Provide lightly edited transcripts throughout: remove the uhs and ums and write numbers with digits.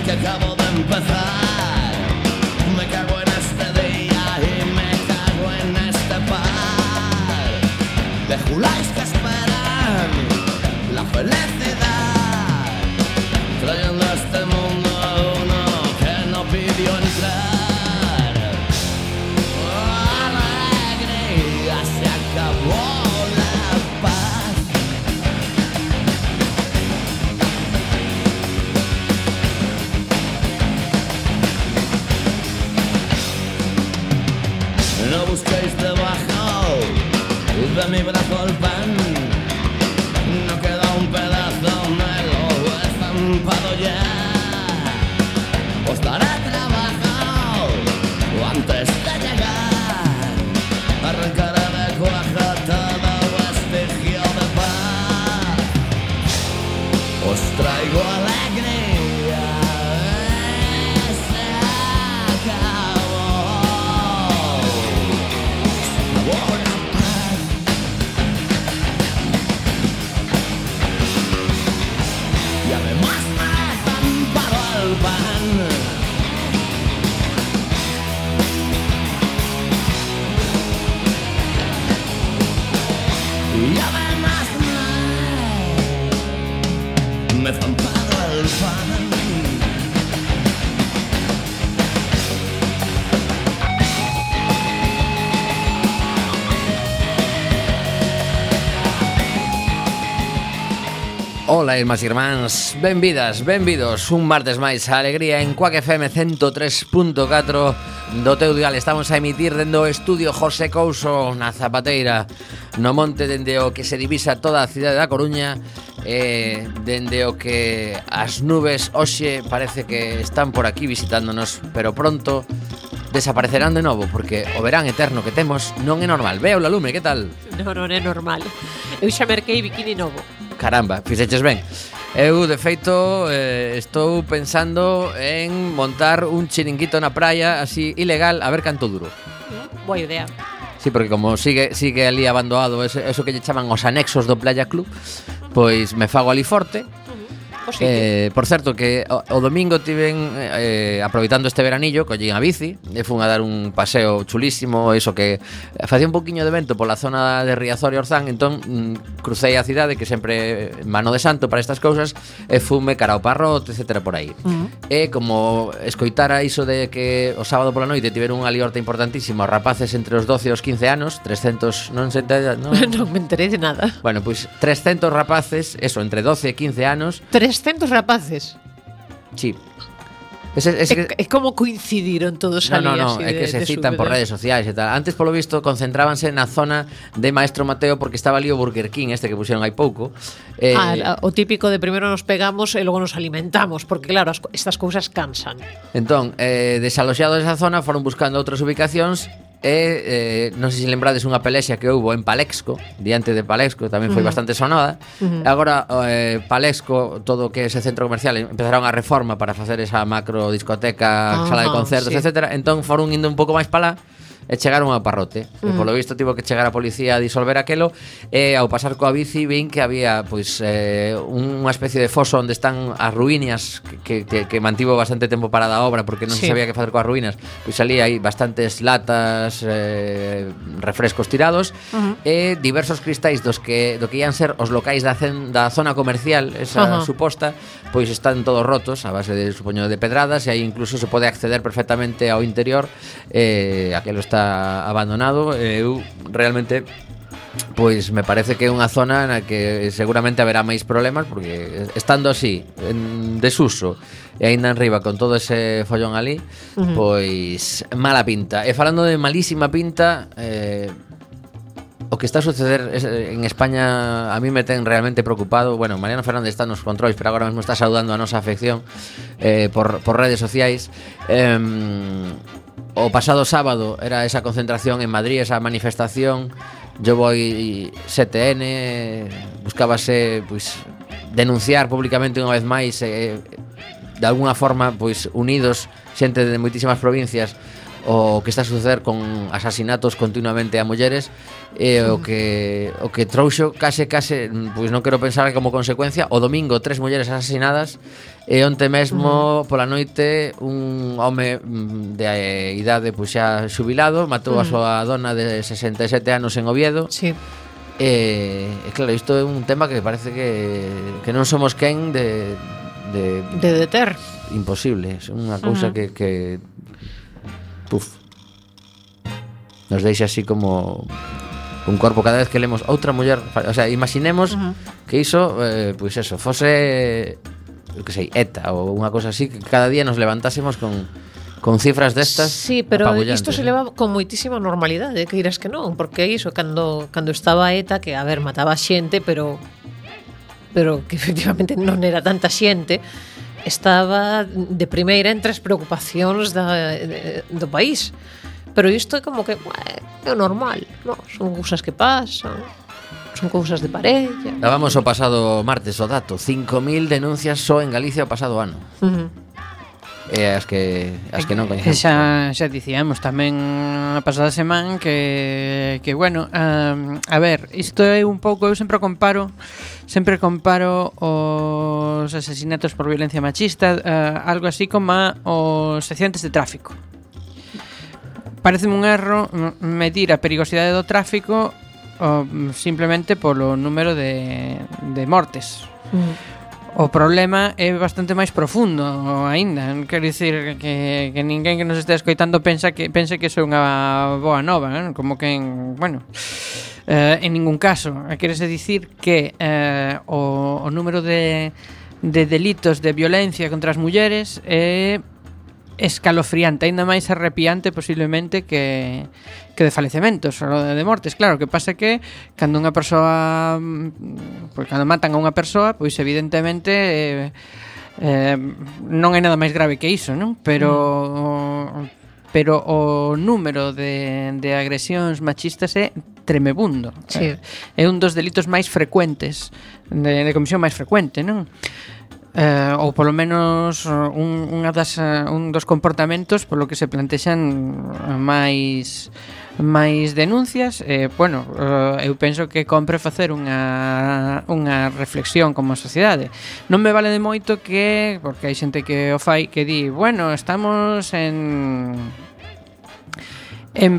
que acabo de empezar. Me cago en este día y me cago en este par de juláis que esperan la felicidad, trayendo a este mundo a uno que no pidió entrar. Alegría, se acabó la paz. No busquéis debajo de mi brazo el pan, no queda un pedazo, me lo he estampado ya. Os daré trabajo antes de llegar, arrancaré de cuaja todo vestigio de paz. Os traigo alegría, se acabó la paz. Y además me he estampado el pan. Y además me he estampado el pan. Ola, irmás e irmáns, benvidas, benvidos un martes máis a Alegría en Cuac FM 103.4 do teu dial. Estamos a emitir dende o estudio José Couso na Zapateira, no monte dende o que se divisa toda a cidade da Coruña, dende o que as nubes hoxe parece que están por aquí visitándonos, pero pronto desaparecerán de novo, porque o verán eterno que temos non é normal. Veo la lume, que tal? Non é normal. Eu xa merquei bikini novo. Caramba, fixeches ben. Eu, de feito, estou pensando en montar un chiringuito na praia, así, ilegal, a ver canto duro. Boa idea. Sí, porque como sigue ali abandonado eso que lle chaman os anexos do Playa Club, pois me fago ali forte. Por certo, que o domingo tiven aproveitando este veranillo, collín a bici e fun a dar un paseo chulísimo, eso que facía un poquinho de vento pola zona de Riazor e Orzán, entón crucei a cidade, que sempre mano de santo para estas cousas, e fume cara ao Parrot, etcétera, por aí. E como escoitara iso de que o sábado pola noite tiveron unha liorta importantísima os rapaces entre os 12 e os 15 anos, 300, non se entera, non? Non me enterei de nada. Bueno, pois 300 rapaces, eso, entre 12 e 15 anos. 300 rapaces. Sí. É como coincidiron todos ali. No, é que se citan por redes sociais e tal. Antes, polo visto, concentrábanse na zona de Maestro Mateo, porque estaba ali o Burger King este que puxeron hai pouco. O típico de primeiro nos pegamos e logo nos alimentamos, porque claro, estas cousas cansan. Entón, desaloxados desa zona, foron buscando outras ubicacións. Non sei se lembrades unha pelexia que houbo en Palexco, diante de Palexco, tamén foi bastante sonada. Agora Palexco, todo o que é ese centro comercial, empezaron a reforma para facer esa macro discoteca, sala de concertos, sí, etcétera. Entón foron indo un pouco máis para lá e chegaron ao Parrote. E polo visto tivo que chegar a policía a disolver aquelo, e ao pasar coa bici vin que había pois unha especie de foso onde están as ruínas que mantivo bastante tempo parada a obra porque non se sabía que facer coas ruínas. Pois ali hai bastantes latas, refrescos tirados, e diversos cristais do que ian ser os locais da zona comercial, esa suposta, pois están todos rotos a base de, supoño, de pedradas, e aí incluso se pode acceder perfectamente ao interior. Aquelo está abandonado. Eu realmente, pois me parece que é unha zona na que seguramente haberá máis problemas, porque estando así en desuso e aínda enriba con todo ese follón ali, pois mala pinta. E falando de malísima pinta, o que está a suceder en España a mí me ten realmente preocupado. Bueno, Mariano Fernández está nos controis, pero agora mesmo está saudando a nosa afección por redes sociais. O pasado sábado era esa concentración en Madrid, esa manifestación. Yo voy 7N, buscábase pois denunciar públicamente unha vez máis, de alguna forma pois unidos, xente de moitísimas provincias, o que está a suceder con asasinatos continuamente a mulleres o que trouxo case pois non quero pensar que como consecuencia o domingo 3 mulleres asasinadas e onte mesmo pola noite un home de idade pois xa xubilado matou a súa dona de 67 anos en Oviedo. Sí. E claro, isto é un tema que parece que non somos quen de deter. Imposible, é unha cousa que nos deixa así como un corpo cada vez que lemos outra muller, o sea, imaginemos que iso, pois eso, fose que sei, ETA ou unha cosa así, que cada día nos levantásemos con cifras destas. Sí, pero isto se leva con moitísima normalidade, que dirás que non, porque iso cando estaba ETA, que a ver, mataba xente, pero que efectivamente non era tanta xente, estaba de primeira entre as preocupacións do país. Pero isto é como que é o normal, no? Son cousas que pasan, son cousas de parella. Dábamos o pasado martes o dato, 5.000 denuncias só en Galicia o pasado ano. E as que non coñecemos. Xa dicíamos tamén a pasada semana que bueno, a ver, isto é un pouco, eu sempre comparo os asesinatos por violencia machista, algo así como os accidentes de tráfico. Pareceme un erro medir a perigosidade do tráfico simplemente polo número de mortes. O problema é bastante máis profundo aínda. Quero dicir que ninguén que nos este escoitando pense que iso é unha boa nova, non? Como que en ningún caso. Querese dicir que o número de delitos de violencia contra as mulleres é escalofriante, aínda máis arrepiante posiblemente que de falecementos ou de mortes. Claro, que pasa que cando unha persoa, pois cando matan a unha persoa, pois evidentemente non é nada máis grave que iso, non? Pero o número de agresións machistas é tremebundo. Sí. É un dos delitos máis frecuentes, de comisión máis frecuente, non? Ou polo menos un dos comportamentos polo que se plantexan máis denuncias. Bueno, eu penso que compre facer unha reflexión como sociedade. Non me vale de moito que, porque hai xente que o fai, que di, bueno, estamos en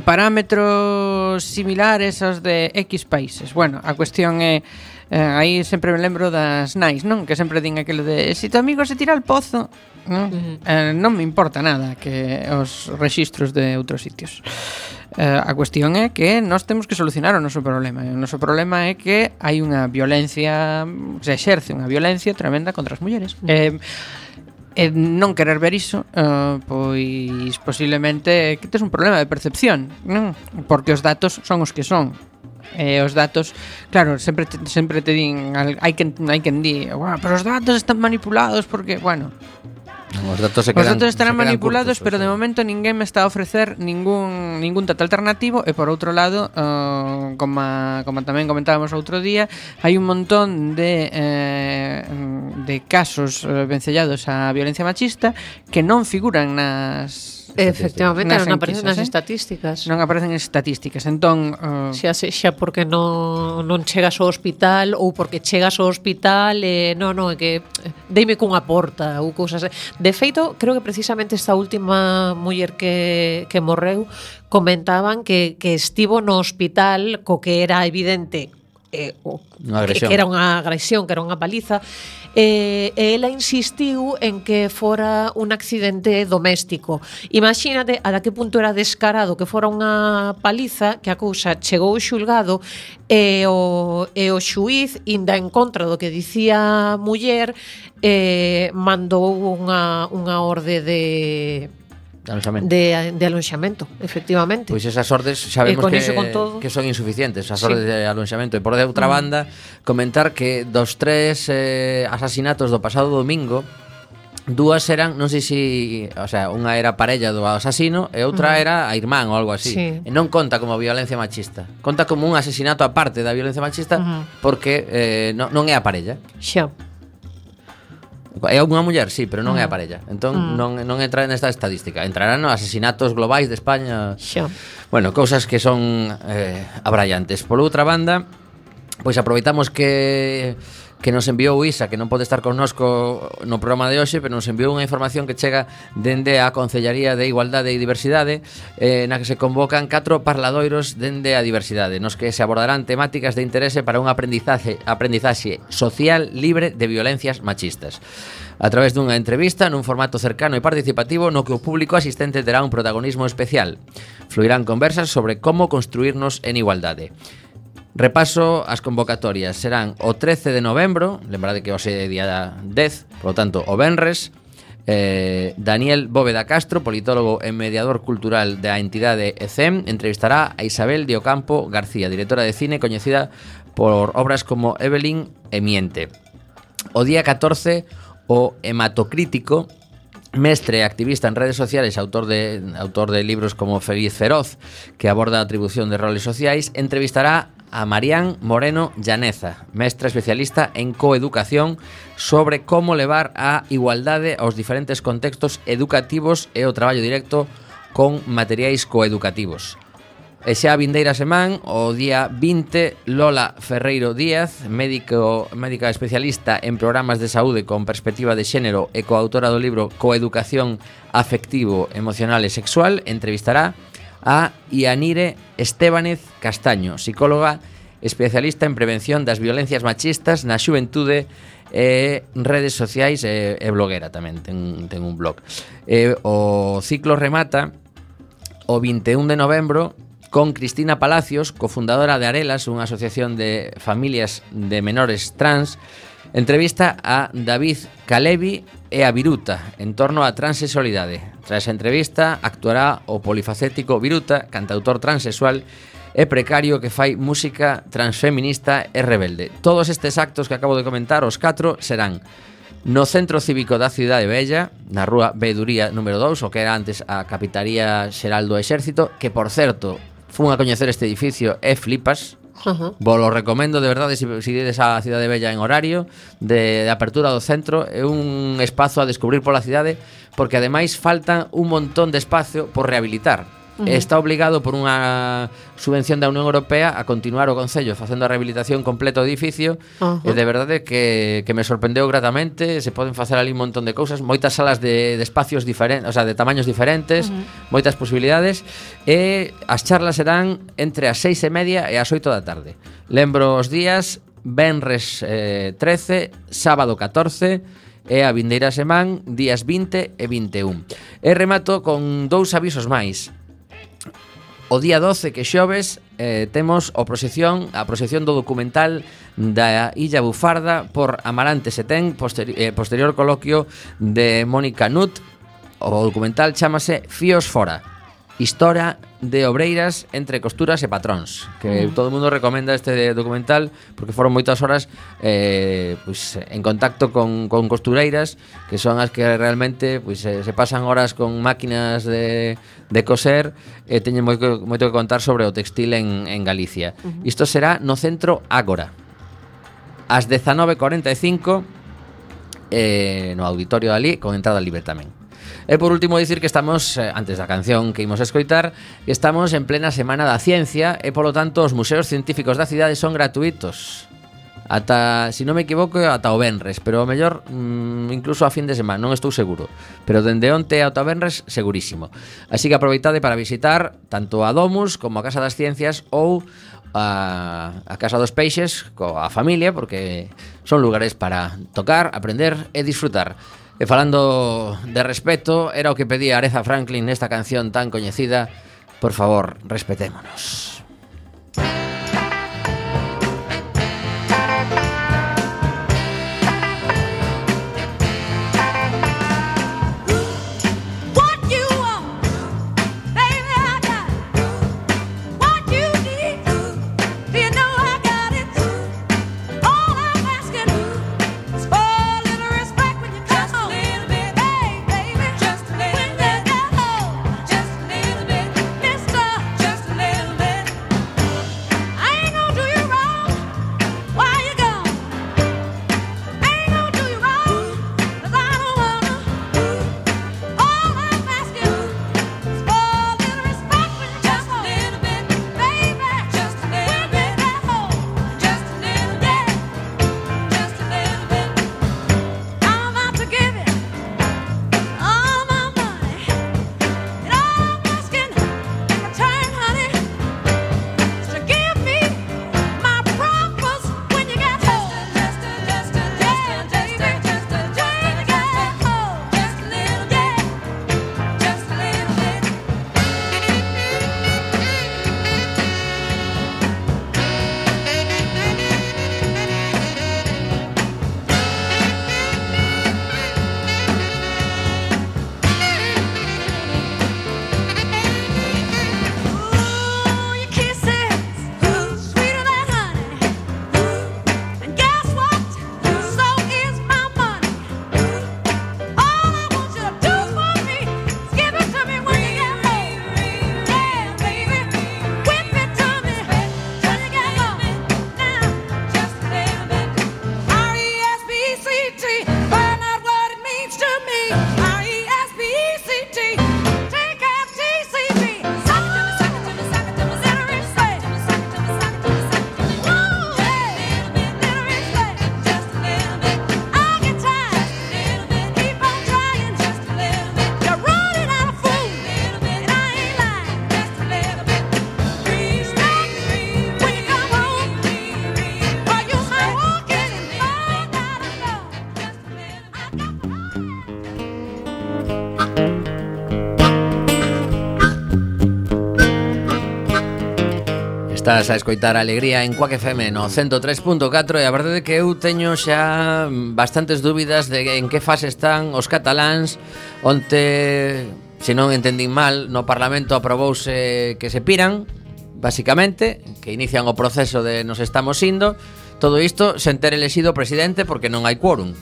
parámetros similares aos de X países. Bueno, a cuestión é aí sempre me lembro das nais, non? Que sempre din aquilo de si tu amigo se tira al pozo, non? Non me importa nada que os rexistros de outros sitios. A cuestión é que nós temos que solucionar o noso problema. E o noso problema é que hai unha violencia, se exerce unha violencia tremenda contra as mulleres. E non querer ver iso, pois posiblemente que tes un problema de percepción, non? Porque os datos son os que son. Os datos, claro, sempre te din, hai quen di, pero os datos están manipulados porque, bueno, os datos estarán manipulados, pero de momento ninguén me está a ofrecer ningún dato alternativo. E por outro lado, como tamén comentábamos outro día, hai un montón de casos vencellados a violencia machista que non figuran nas efectivamente, non aparecen nas estatísticas. Non aparecen en estatísticas. Entón, xa porque non chegas ao hospital ou porque chegas ao hospital é que deime cunha porta ou cousas. De feito, creo que precisamente esta última muller que morreu comentaban que estivo no hospital co que era evidente que era unha agresión, que era unha paliza, e ela insistiu en que fora un accidente doméstico. Imagínate a que punto era descarado que fora unha paliza, que a cousa chegou ao xulgado e o xuíz, inda en contra do que dicía a muller, mandou unha orde de alonxamento, efectivamente. Pois esas ordes sabemos que son insuficientes, esas ordes de alonxamento. E por de outra banda, comentar que dos 3 asasinatos do pasado domingo, 2 eran, non sei se, o sea, unha era parella do asasino e outra era a irmán ou algo así. E non conta como violencia machista. Conta como un asesinato aparte da violencia machista porque non é a parella. Xa. É unha muller, sí, pero non é a parella. Entón non entra nesta estadística. Entrarán nos asesinatos globais de España. Xa. Bueno, cousas que son abrallantes. Por outra banda, pois aproveitamos que nos enviou Isa, que non pode estar connosco no programa de hoxe, pero nos enviou unha información que chega dende a Concellaría de Igualdade e Diversidade, na que se convocan 4 parladoiros dende a diversidade, nos que se abordarán temáticas de interese para un aprendizaxe social libre de violencias machistas. A través dunha entrevista nun formato cercano e participativo no que o público asistente terá un protagonismo especial. Fluirán conversas sobre como construirnos en igualdade. Repaso as convocatorias. Serán o 13 de novembro, lembrade que hoxe é día 10, por lo tanto, o venres. Daniel Bóveda Castro, politólogo e mediador cultural da entidade ECEM, entrevistará a Isabel de Ocampo García, directora de cine coñecida por obras como Evelyn e Miente. O día 14, o hematocrítico, mestre e activista en redes sociales, autor de libros como Feliz Feroz, que aborda a atribución de roles sociais, entrevistará a Marián Moreno Llaneza, mestra especialista en coeducación, sobre como levar a igualdade aos diferentes contextos educativos e o traballo directo con materiais coeducativos. E xa a vindeira semana, o día 20, Lola Ferreiro Díaz, médica especialista en programas de saúde con perspectiva de xénero e coautora do libro Coeducación afectivo, emocional e sexual, entrevistará a Ianire Estébanez Castaño, psicóloga especialista en prevención das violencias machistas na xuventude e redes sociais e bloguera tamén, ten un blog. O ciclo remata o 21 de novembro con Cristina Palacios, cofundadora de Arelas, unha asociación de familias de menores trans. Entrevista a David Calevi e a Viruta en torno á transexualidade. Tras a entrevista actuará o polifacético Viruta, cantautor transexual e precario que fai música transfeminista e rebelde. Todos estes actos que acabo de comentar, os 4, serán no Centro Cívico da Cidade Bella, na rúa Beduría número 2, o que era antes a Capitaría Xeral do Exército, que, por certo, fun a coñecer este edificio e flipas. Vos lo recomendo de verdade se ides á Cidade Bella en horario de apertura do centro. É un espazo a descubrir pola cidade, porque ademais falta un montón de espacio por rehabilitar. Está obligado por unha subvención da Unión Europea a continuar o Concello facendo a rehabilitación completa do edificio. E de verdade que me sorprendeu gratamente. Se poden facer ali un montón de cousas, moitas salas de espacios diferentes, o sea, de tamaños diferentes, moitas posibilidades. E as charlas serán entre as 6:30 e as 8 da tarde. Lembro os días: venres 13, sábado 14 e a vindeira semana, días 20 e 21. E remato con 2 avisos máis. O día 12, que xoves, temos a proxección do documental da Illa Bufarda por Amarante Setén, posterior coloquio de Mónica Nut. O documental chámase Fíos Fora, historia de obreiras entre costuras e patróns, que todo o mundo recomenda este documental porque foron moitas horas pues, en contacto con costureiras, que son as que realmente pues, se pasan horas con máquinas de coser e teñen moito que contar sobre o textil en Galicia. Isto será no Centro Ágora ás 19:45 no auditorio dali, con entrada libre tamén. E por último dicir que estamos, antes da canción que imos escoitar, que estamos en plena Semana da Ciencia e polo tanto os museos científicos da cidade son gratuitos. Ata, se non me equivoco, ata o venres, pero o mellor incluso a fin de semana, non estou seguro, pero dende onte ata o venres segurísimo. Así que aproveitade para visitar tanto a Domus como a Casa das Ciencias ou a Casa dos Peixes coa familia, porque son lugares para tocar, aprender e disfrutar. E falando de respeto, era o que pedía Aretha Franklin nesta canción tan coñecida. Por favor, respetémonos. Estás a escoitar a Alegría en Quack FM no 103.4 e a verdade é que eu teño xa bastantes dúbidas de en que fase están os cataláns. Onte, se non entendín mal, no Parlamento aprobouse que se piran, basicamente, que inician o proceso de nos estamos indo. Todo isto sen ter elexido o presidente porque non hai quórum.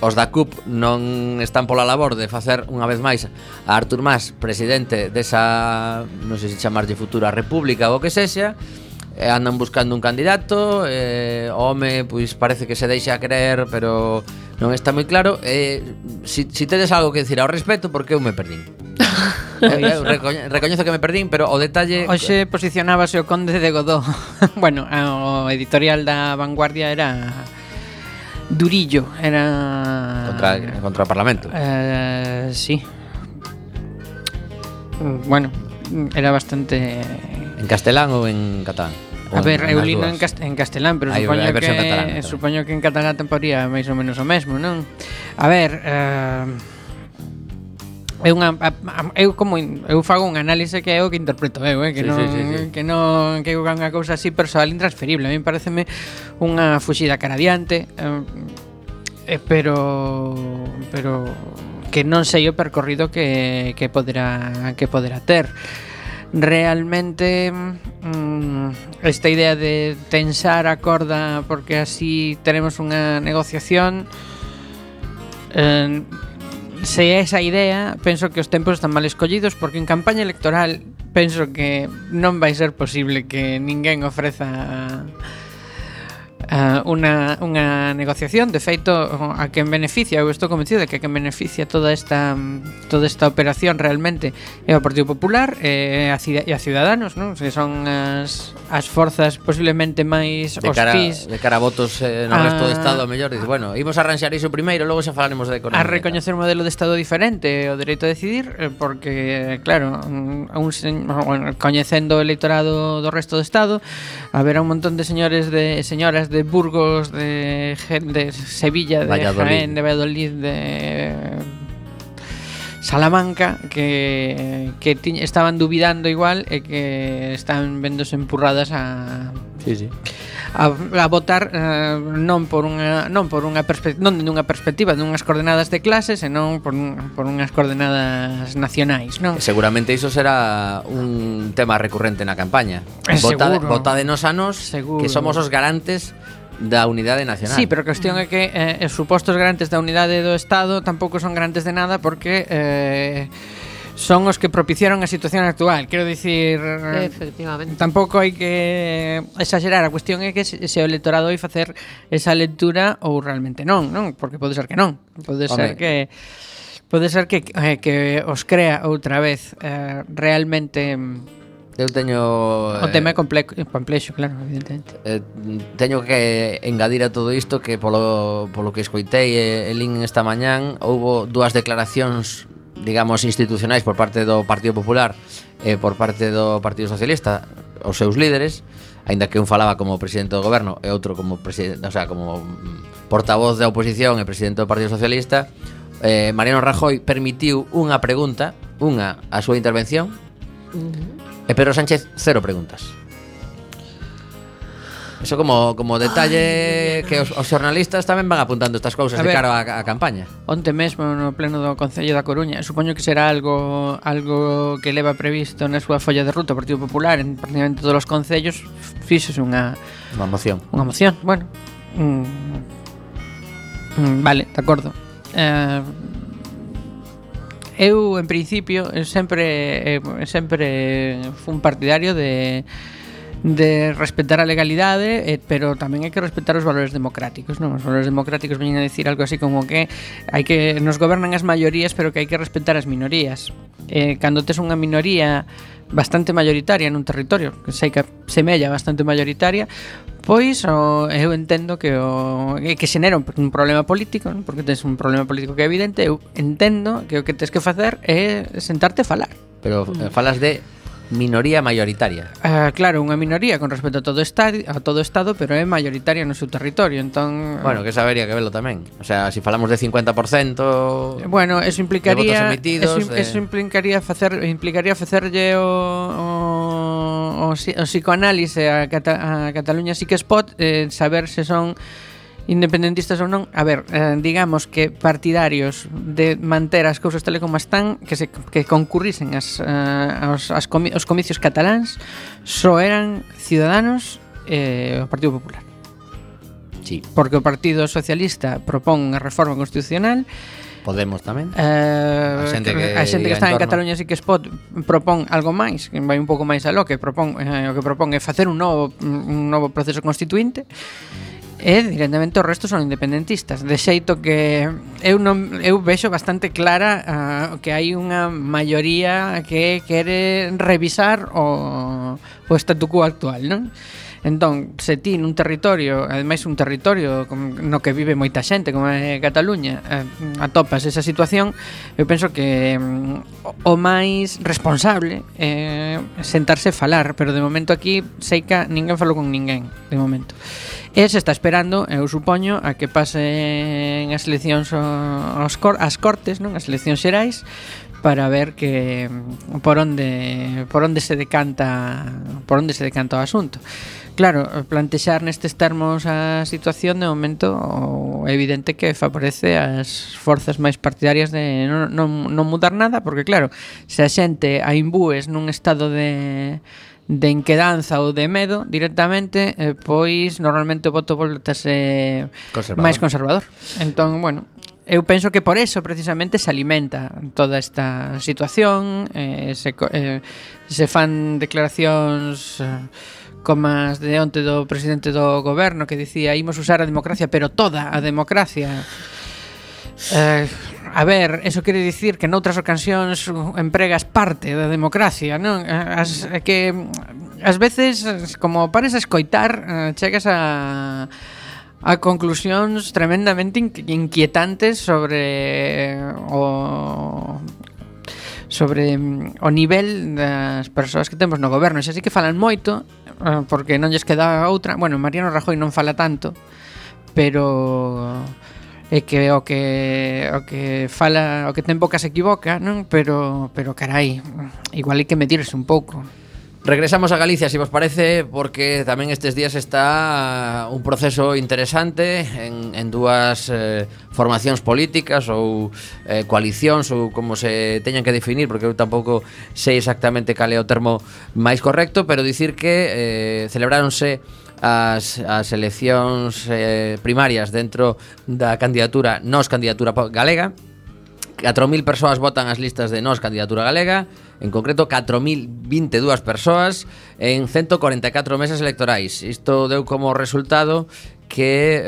Os da CUP non están pola labor de facer unha vez máis a Artur Mas presidente desa, non sei se chamarlle futura república ou o que sexa. Andan buscando un candidato, o home pois parece que se deixa creer, pero non está moi claro. Si tedes algo que decir ao respecto, porque eu me perdín. Recoñezo que me perdín, pero o detalle... Hoxe posicionábase o Conde de Godó. Bueno, o editorial da Vanguardia era durillo, era... Contra o Parlamento. Sí. Bueno, era bastante... En castelán ou en catalán? A ver, eu lino en castelán, pero supoño que en catalán temporía máis ou menos o mesmo, non? A ver, eu fago un análise que é o que interpreto eu, que non que é unha cousa así persoal intransferible. A mí pareceme unha fuxida cara adiante, pero que non sei o percorrido que poderá ter. Realmente esta idea de tensar a corda porque así tenemos unha negociación, se é esa idea, penso que os tempos están mal escollidos, porque en campaña electoral penso que non vai ser posible que ninguén ofreza unha negociación. De feito, a quen beneficia, eu estou convencido de que a quen beneficia toda esta operación realmente é o Partido Popular e a Ciudadanos, non? Que son as forzas posiblemente máis hospís de cara a votos no resto do Estado. A mellor dice, bueno, imos a arranxar iso primeiro, logo xa falaremos de economía. A recoñecer un modelo de Estado diferente, o dereito a decidir, porque, claro, coñecendo o eleitorado do resto do Estado, haberá un montón de señores de señoras de Burgos, de Sevilla, de Jaén, de Valladolid, de Salamanca que estaban dubidando igual e que están vendose empurradas a votar non dunha perspectiva dunhas coordenadas de clase, senón por unhas coordenadas nacionais, non? Seguramente iso será un tema recurrente na campaña. Votádenos a nos, que somos os garantes da unidade nacional. Sí, pero a cuestión é que os supostos garantes da unidade do Estado tampouco son garantes de nada, porque son os que propiciaron a situación actual. Quero dicir, efectivamente, tampouco hai que exagerar. A cuestión é que se o electorado vai facer esa lectura ou realmente non, porque pode ser que non. Pode ser que os crea outra vez realmente. Eu teño... O tema é complexo, claro, evidentemente. Teño que engadir a todo isto que polo que escoitei e lin esta mañán, houbo dúas declaracións, digamos, institucionais por parte do Partido Popular e por parte do Partido Socialista, os seus líderes, aínda que un falaba como presidente do goberno e outro como presidente, o sea, como portavoz da oposición e presidente do Partido Socialista. Mariano Rajoy permitiu unha pregunta, a súa intervención, e Pedro Sánchez cero preguntas. Eso como detalle que os xornalistas tamén van apuntando estas cousas de cara á campaña. Onte mesmo no pleno do Concello da Coruña, supoño que será algo que leva previsto na súa folla de ruta o Partido Popular en prácticamente todos os concellos, fíxose unha moción. Bueno, vale, de acordo. Eu, en principio, sempre fui un partidario de respetar a legalidade, pero tamén hai que respetar os valores democráticos, non? Os valores democráticos veñen a dicir algo así como que nos gobernan as maiorías, pero que hai que respetar as minorías. Cando tes unha minoría bastante mayoritaria nun territorio, que sei que semella bastante mayoritaria, pois eu entendo que xenera un problema político, non? Porque tes un problema político que é evidente. Eu entendo que o que tes que facer é sentarte a falar. Pero falas de minoría mayoritaria. Claro, unha minoría con respecto a todo Estado, pero é mayoritaria no seu territorio, entón... Bueno, que sabería que velo tamén. O sea, se falamos de 50%... Bueno, eso implicaría... De votos emitidos... Eso implicaría facerlle o o psicoanálise a Cataluña Sí que Spot, saber se son independentistas ou non. A ver, digamos que partidarios de manter as cousas tal como están, que concurrisen os comicios cataláns, só eran Ciudadanos e o Partido Popular. Sí. Porque o Partido Socialista propón unha reforma constitucional, Podemos tamén. A xente que está en Cataluña Sí que Spot propón algo máis, que vai un pouco máis aló, que propón o que propón é facer un novo proceso constituinte. E directamente o resto son independentistas, de xeito que eu vexo bastante clara que hai unha maioría que quere revisar o statu quo actual, non? Entón, se ti nun territorio, ademais un territorio no que vive moita xente, como é Cataluña, atopas esa situación, eu penso que o máis responsable é sentarse a falar, pero de momento aquí seica ninguén falou con ninguén, de momento. E se está esperando, eu supoño, a que pasen as eleccións as cortes, non? As eleccións xerais, para ver que por onde se decanta o asunto. Claro, plantexar nestes termos a situación de momento é evidente que favorece as forzas máis partidarias de non mudar nada, porque claro, se a xente a imbúes nun estado de inquedanza ou de medo directamente, pois normalmente o voto voltase máis conservador. Entón, bueno, eu penso que por eso precisamente se alimenta toda esta situación, se fan declaracións como as de onte do presidente do goberno, que dicía imos usar a democracia, pero toda a democracia. A ver, eso quere dicir que noutras ocasións empregas parte da democracia, non? Que ás veces, como pares a escoitar, chegas a conclusións tremendamente inquietantes sobre o nivel das persoas que temos no goberno. Xa sí que falan moito, porque non lles queda outra. Bueno, Mariano Rajoy non fala tanto, pero é que o que fala, o que ten boca se equivoca, non? Pero carai, igual hai que medirse un pouco. Regresamos a Galicia, si vos parece, porque tamén estes días está un proceso interesante en dúas formacións políticas ou coalicións ou como se teñan que definir, porque eu tampouco sei exactamente cal é o termo máis correcto, pero dicir que celebráronse as eleccións primarias dentro da candidatura Nós Candidatura Galega. 4.000 persoas votan as listas de Nós Candidatura Galega, en concreto 4.022 persoas en 144 mesas electorais. Isto deu como resultado que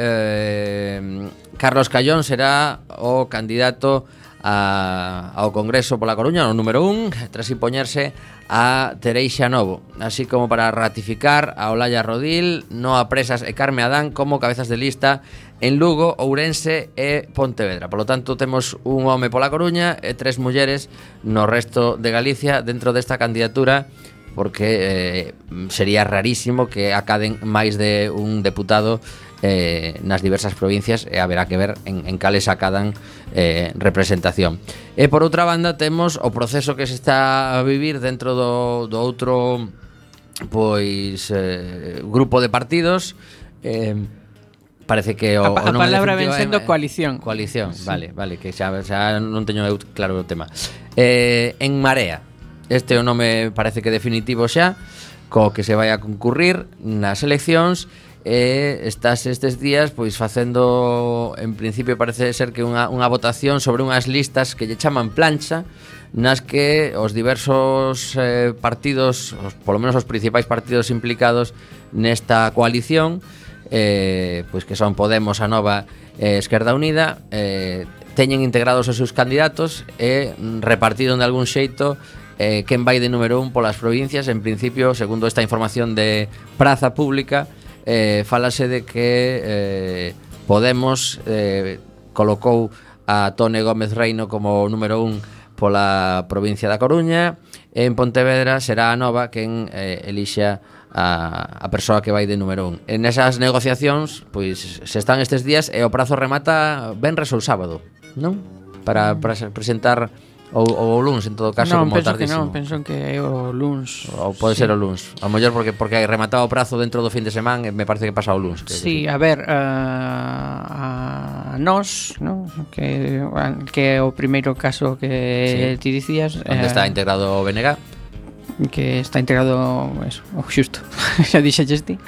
Carlos Callón será o candidato ao Congreso pola Coruña, o número 1, tras impoñerse a Tereixa Novo, así como para ratificar a Olalla Rodil, Noa Presas e Carme Adán como cabezas de lista en Lugo, Ourense e Pontevedra. Por lo tanto, temos un home pola Coruña e 3 mulleres no resto de Galicia dentro desta candidatura, porque sería rarísimo que acaden máis de un deputado nas diversas provincias, e haberá que ver en cales acadan representación. E por outra banda temos o proceso que se está a vivir dentro do outro pois grupo de partidos. Parece que a palabra ven sendo coalición. Coalición, sí. Vale, que xa non teño claro o tema. En Marea, este o nome parece que definitivo xa, co que se vai a concurrir nas eleccións. Estás estes días pois facendo, en principio parece ser que unha votación sobre unhas listas que lle chaman plancha, nas que os diversos partidos, polo menos os principais partidos implicados nesta coalición, pois que son Podemos, Anova e Esquerda Unida, teñen integrados os seus candidatos e repartiron de algún xeito quen vai de número 1 polas provincias. En principio, segundo esta información de Praza Pública, falase de que Podemos colocou a Tone Gómez Reino como número 1 pola provincia da Coruña, e en Pontevedra será a Nova quen elixa a persoa que vai de número 1. En esas negociacións, pois se están estes días e o prazo remata venres ou sábado, non? Para presentar Ou o luns, en todo caso, Non, como penso que tardísimo. non, penso que é o luns. Ou pode ser o luns. A mellor porque hai rematado o prazo dentro do fin de semana, me parece que pasa o luns. Sí, a ver, a nós, ¿no? que é o primeiro caso que ti dicías, Onde está integrado o BNG. que está integrado eso, xusto, xa dixelles ti.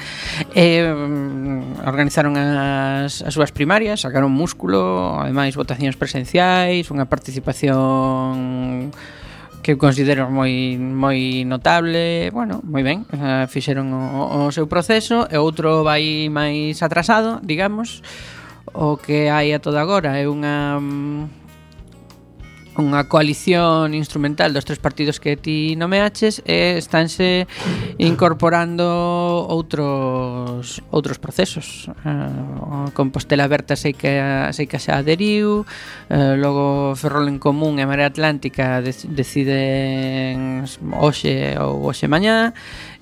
Organizaron as súas primarias, sacaron músculo, ademais votacións presenciais, unha participación que eu considero moi notable. Bueno, moi ben, fixeron o seu proceso, e outro vai máis atrasado, digamos. O que hai a todo agora é unha coalición instrumental dos tres partidos que ti nomeaches, e estánse incorporando outros procesos. Compostela Aberta sei que xa aderiu, logo Ferrol en Común e Marea Atlántica deciden hoxe ou hoxe mañá.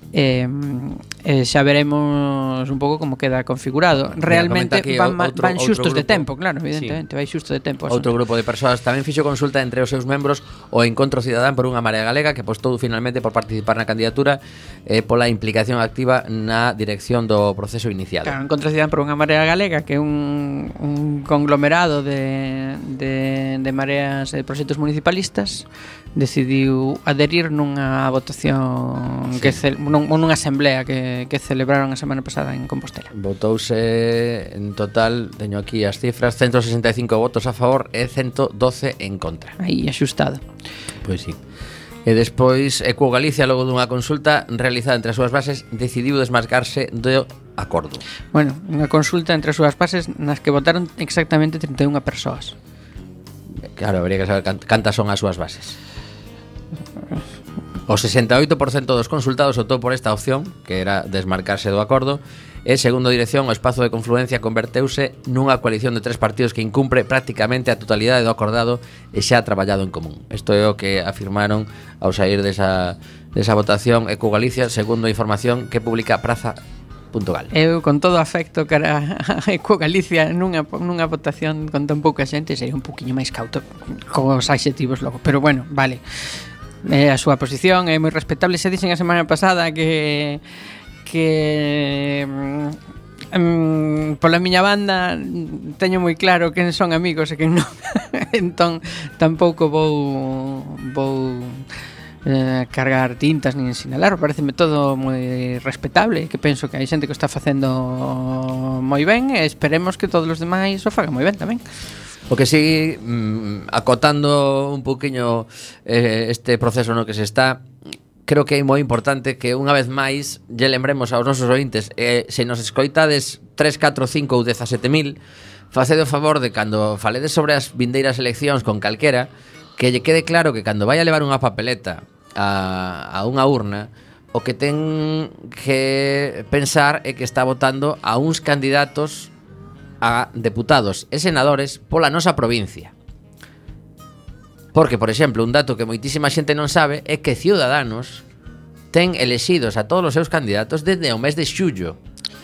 Xa veremos un pouco como queda configurado. Realmente van xustos de tempo, claro, evidentemente, vai xusto de tempo. Outro grupo de persoas tamén fixo consulta entre os seus membros o Encontro Cidadán por unha Marea Galega, que apostou finalmente por participar na candidatura e pola implicación activa na dirección do proceso inicial. Claro, Encontro Cidadán por unha Marea Galega, que é un conglomerado de mareas e proxectos municipalistas, decidiu adherir nunha votación nunha asamblea que celebraron a semana pasada en Compostela. Votouse en total, teño aquí as cifras, 165 votos a favor e 112 en contra. Aí axustado. Pois sí. E despois Equo Galicia, logo dunha consulta realizada entre as súas bases, decidiu desmarcarse do acordo. Bueno, unha consulta entre as súas bases nas que votaron exactamente 31 persoas. Claro, habría que saber cantas son as súas bases. O 68% dos consultados optou por esta opción, que era desmarcarse do acordo, e, segundo a dirección, o espazo de confluencia converteuse nunha coalición de tres partidos que incumpre prácticamente a totalidade do acordado e xa traballado en común. Isto é o que afirmaron ao sair desa votación Equo Galicia, segundo a información que publica Praza.gal. Eu, con todo afecto cara a Equo Galicia, nunha votación con tan pouca xente, sería un poquinho máis cauto cos adxetivos logo, pero bueno, vale. A súa posición é moi respetable. Se dixen a semana pasada que pola miña banda teño moi claro quen son amigos e quen non. Entón tampouco vou cargar tintas nin sinalar. Pareceme todo moi respetable, que penso que hai xente que o está facendo moi ben, e esperemos que todos os demais o fagan moi ben tamén. O que sí, acotando un poquinho este proceso no que se está, creo que é moi importante que unha vez máis lle lembremos aos nosos ointes, se nos escoitades 3, 4, 5 ou 17.000, facede o favor de cando faledes sobre as vindeiras eleccións con calquera, que lle quede claro que cando vai a levar unha papeleta a unha urna, o que ten que pensar é que está votando a uns candidatos a deputados e senadores pola nosa provincia. Porque, por exemplo, un dato que moitísima xente non sabe é que Ciudadanos ten elexidos a todos os seus candidatos desde o mes de xullo.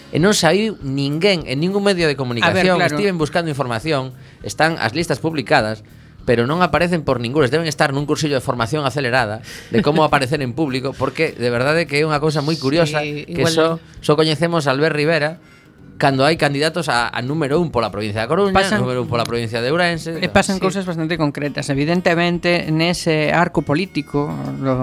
E non saiu ninguén en ningún medio de comunicación. Claro. Estiven buscando información, están as listas publicadas, pero non aparecen por ningunes. Deben estar nun cursillo de formación acelerada de como aparecer en público, porque de verdade que é unha cousa moi curiosa, Sí, que igual... só coñecemos a Albert Rivera cando hai candidatos a número 1 pola provincia de Coruña, número 1 pola provincia de Ourense. E pasan cousas bastante concretas. Evidentemente, nese arco político do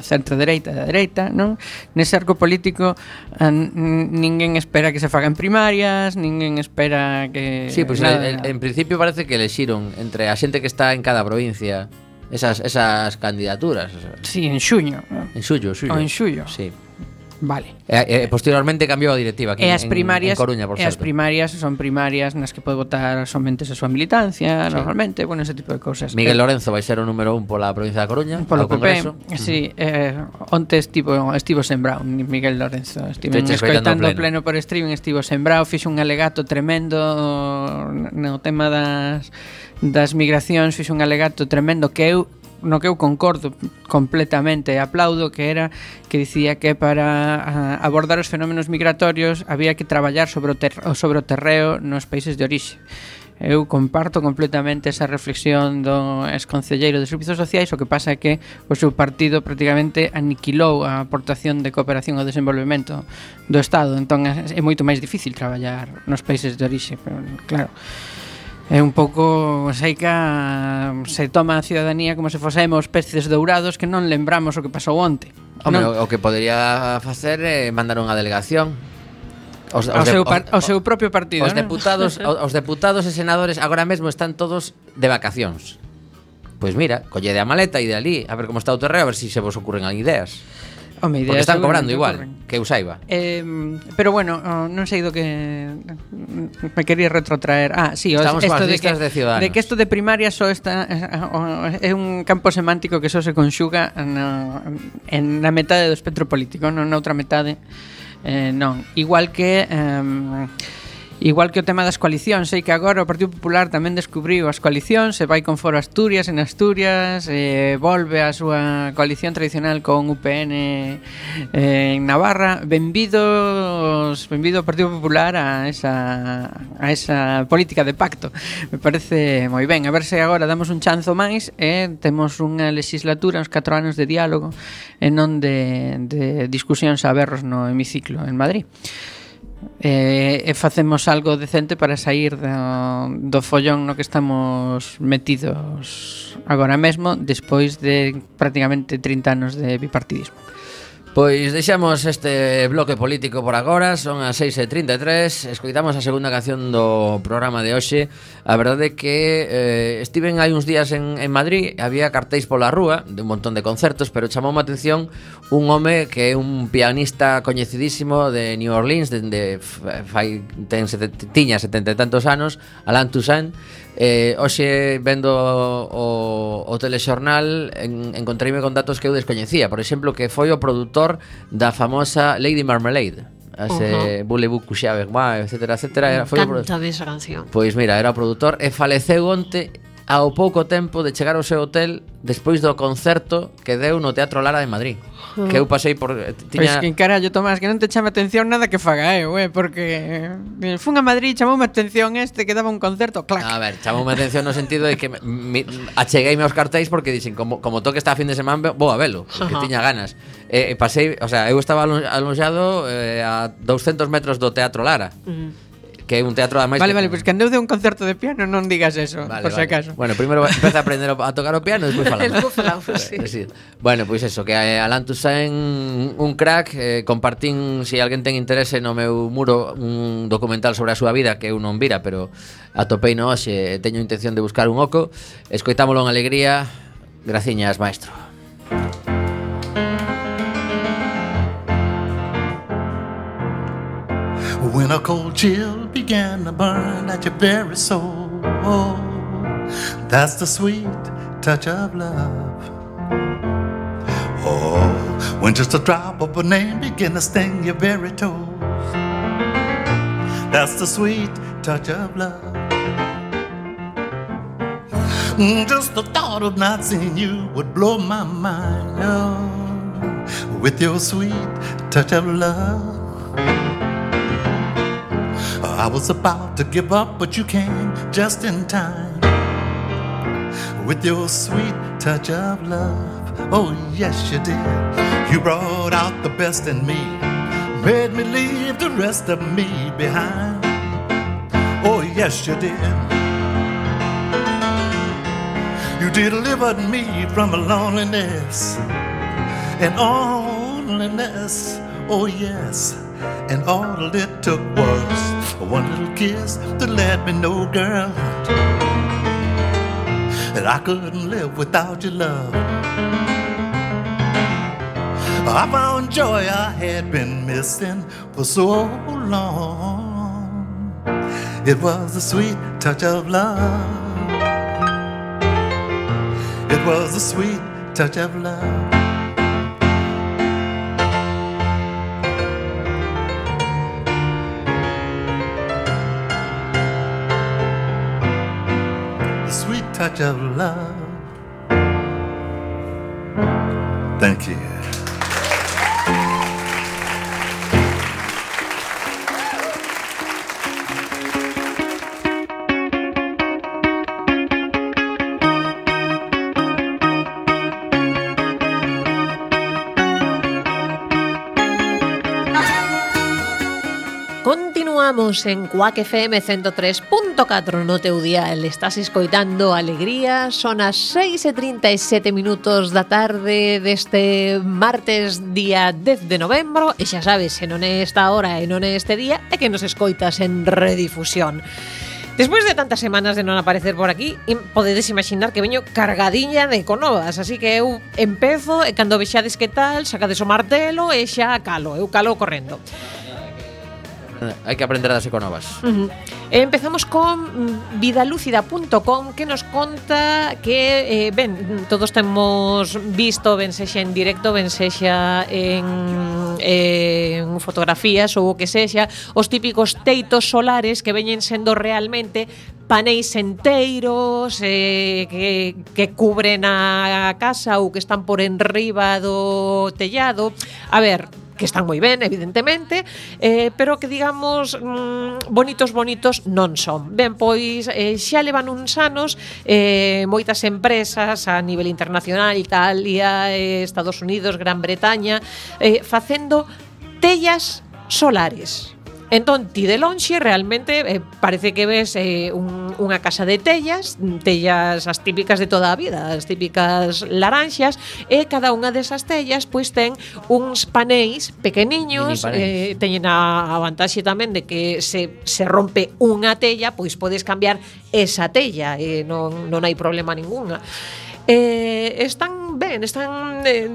centro-dereita e da dereita, non? Nese arco político ninguén espera que se fagan primarias, ninguén espera que... Sí, pues en principio parece que elexiron entre a xente que está en cada provincia esas candidaturas. Sí, en xuño. En xullo. O en xullo. Sí. Vale. Posteriormente cambiou a directiva aquí en Coruña, por certo. As primarias son primarias nas que pode votar somente a súa militancia, normalmente, bueno, ese tipo de cousas. Miguel Lorenzo vai ser o número 1 pola provincia da Coruña, polo ao Congreso. Sí, onte estivo sembrado Miguel Lorenzo. Estive escoitando pleno por streaming, estivo sembrado, fixo un alegato tremendo no tema das migracións, fixo un alegato tremendo que eu concordo completamente e aplaudo, que era que dicía que para abordar os fenómenos migratorios había que traballar sobre o terreo nos países de orixe. Eu comparto completamente esa reflexión do exconcelleiro de Servizos Sociais. O que pasa é que o seu partido prácticamente aniquilou a aportación de cooperación ao desenvolvemento do Estado. Entón é moito máis difícil traballar nos países de orixe. Pero, claro, é un pouco seica, se toma a ciudadanía como se fosemos peces dourados que non lembramos o que pasou onte. Home, o que podería facer é mandar unha delegación ao seu propio partido. Os deputados e senadores agora mesmo están todos de vacacións. Pois mira, collede a maleta e de ali a ver como está o terreo, a ver se vos ocurren ideas. Home, porque están cobrando igual, que eu saiba. Pero bueno, non sei do que me quería retrotraer. Sí, estamos coas listas de Ciudadanos. De que isto de primaria só está é un campo semántico que só se conxuga na metade do espectro político, non na outra metade. Non, igual que o tema das coalicións. Sei que agora o Partido Popular tamén descubriu as coalicións, se vai con Foro Asturias en Asturias, volve a súa coalición tradicional con UPN en Navarra. Benvido o Partido Popular a esa política de pacto. Me parece moi ben. A ver se agora damos un chanzo máis e temos unha legislatura, uns 4 anos de diálogo e non de discusións a berros no hemiciclo en Madrid. E facemos algo decente para sair do follón no que estamos metidos agora mesmo, despois de prácticamente 30 anos de bipartidismo. Pois deixamos este bloque político por agora. Son as 6:33. Escoitamos a segunda canción do programa de hoxe. A verdade é que estiven hai uns días en Madrid. Había cartéis pola rúa de un montón de concertos, pero chamoume a atención un home que é un pianista coñecidísimo de New Orleans, tiña 70 e tantos anos, Alain Toussaint. Hoxe vendo o telexornal encontreime con datos que eu descoñecía. Por exemplo, que foi o produtor da famosa Lady Marmalade, ese Voulez-vous coucher avec moi, etcétera, etcétera. Cántame esa canción. Pois mira, era o produtor e faleceu onte ao pouco tempo de chegar ao seu hotel despois do concerto que deu no Teatro Lara de Madrid. Que eu pasei por... Pois que carallo, Tomás, que non te chame atención nada que faga porque fun a Madrid, chamoume atención que daba un concerto, clac. A ver, chamoume atención no sentido de que achegueime aos cartéis porque dixen, como toque esta fin de semana, vou a velo, porque tiña ganas. Pasei, o sea, eu estaba alonxado a 200 metros do Teatro Lara. Que é un teatro ademais. Vale, pois que andeu de un concerto de piano non digas eso, por si acaso. Bueno, primeiro empeza a aprender a tocar o piano e despois falamos. Sí. Bueno, pois eso, que Alain Toussaint un crack, compartín, se alguén ten interese no meu muro, un documental sobre a súa vida que eu non vira, pero atopei no hoxe e teño intención de buscar un oco. Escoitámolo en alegría. Graciñas, maestro. When a cold chill began to burn at your very soul, that's the sweet touch of love. Oh, when just a drop of a name began to sting your very toes, that's the sweet touch of love. Just the thought of not seeing you would blow my mind, with your sweet touch of love. I was about to give up, but you came just in time with your sweet touch of love. Oh, yes, you did. You brought out the best in me, made me leave the rest of me behind. Oh, yes, you did. You delivered me from loneliness and loneliness. Oh, yes. And all it took was one little kiss to let me know, girl, that I couldn't live without your love. I found joy I had been missing for so long. It was the sweet touch of love. It was the sweet touch of love. Touch of love. Thank you. Continuamos en Quack FM 103.4 no teu dial. Estás escoitando Alegría. Son as 6:37 minutos da tarde deste martes día 10 de novembro. E xa sabes, se non é esta hora e non é este día, é que nos escoitas en redifusión. Despois de tantas semanas de non aparecer por aquí, podedes imaginar que veño cargadiña de econovas, así que eu empezo e cando vexades que tal, sacades o martelo e xa calo, eu calo correndo. Hai que aprender das econovas. Empezamos con vidalúcida.com, que nos conta que todos temos visto, ben sexa en directo, ben sexa en fotografías ou o que sexa, os típicos teitos solares que veñen sendo realmente paneis enteiros que cubren a casa ou que están por enriba do tellado. A ver, que están moi ben, evidentemente, pero que, digamos, bonitos non son. Ben, pois, xa levan uns anos moitas empresas a nivel internacional, Italia, Estados Unidos, Gran Bretaña, facendo tellas solares. Entón, ti de lonxe realmente parece que ves unha casa de tellas as típicas de toda a vida, as típicas laranxas, e cada unha desas tellas pois ten uns paneis pequeniños, teñen a vantaxe tamén de que se rompe unha tella, pois podes cambiar esa tella, non hai problema ninguna. Están ben,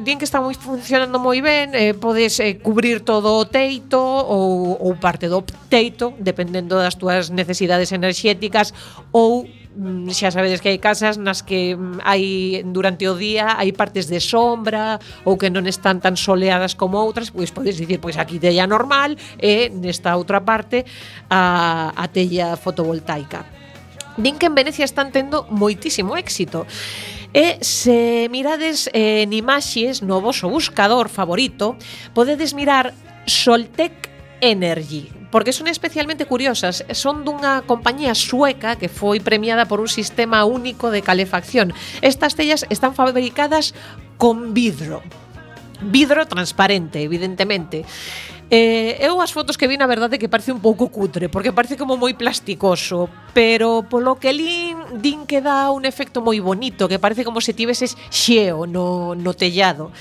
din que están funcionando moi ben, podes cubrir todo o teito ou parte do teito, dependendo das túas necesidades enerxéticas, ou xa sabedes que hai casas nas que hai durante o día hai partes de sombra ou que non están tan soleadas como outras, pois podes dicir, pois aquí tella normal e nesta outra parte a tella fotovoltaica. Din que en Venecia están tendo moitísimo éxito. E se mirades en imaxes no voso buscador favorito, podedes mirar Soltec Energy, porque son especialmente curiosas. Son dunha compañía sueca que foi premiada por un sistema único de calefacción. Estas tellas están fabricadas con vidro transparente, evidentemente. Eu as fotos que vi, na verdade, que parece un pouco cutre, porque parece como moi plasticoso, pero polo que din que dá un efecto moi bonito, que parece como se tiveses xeo no tellado.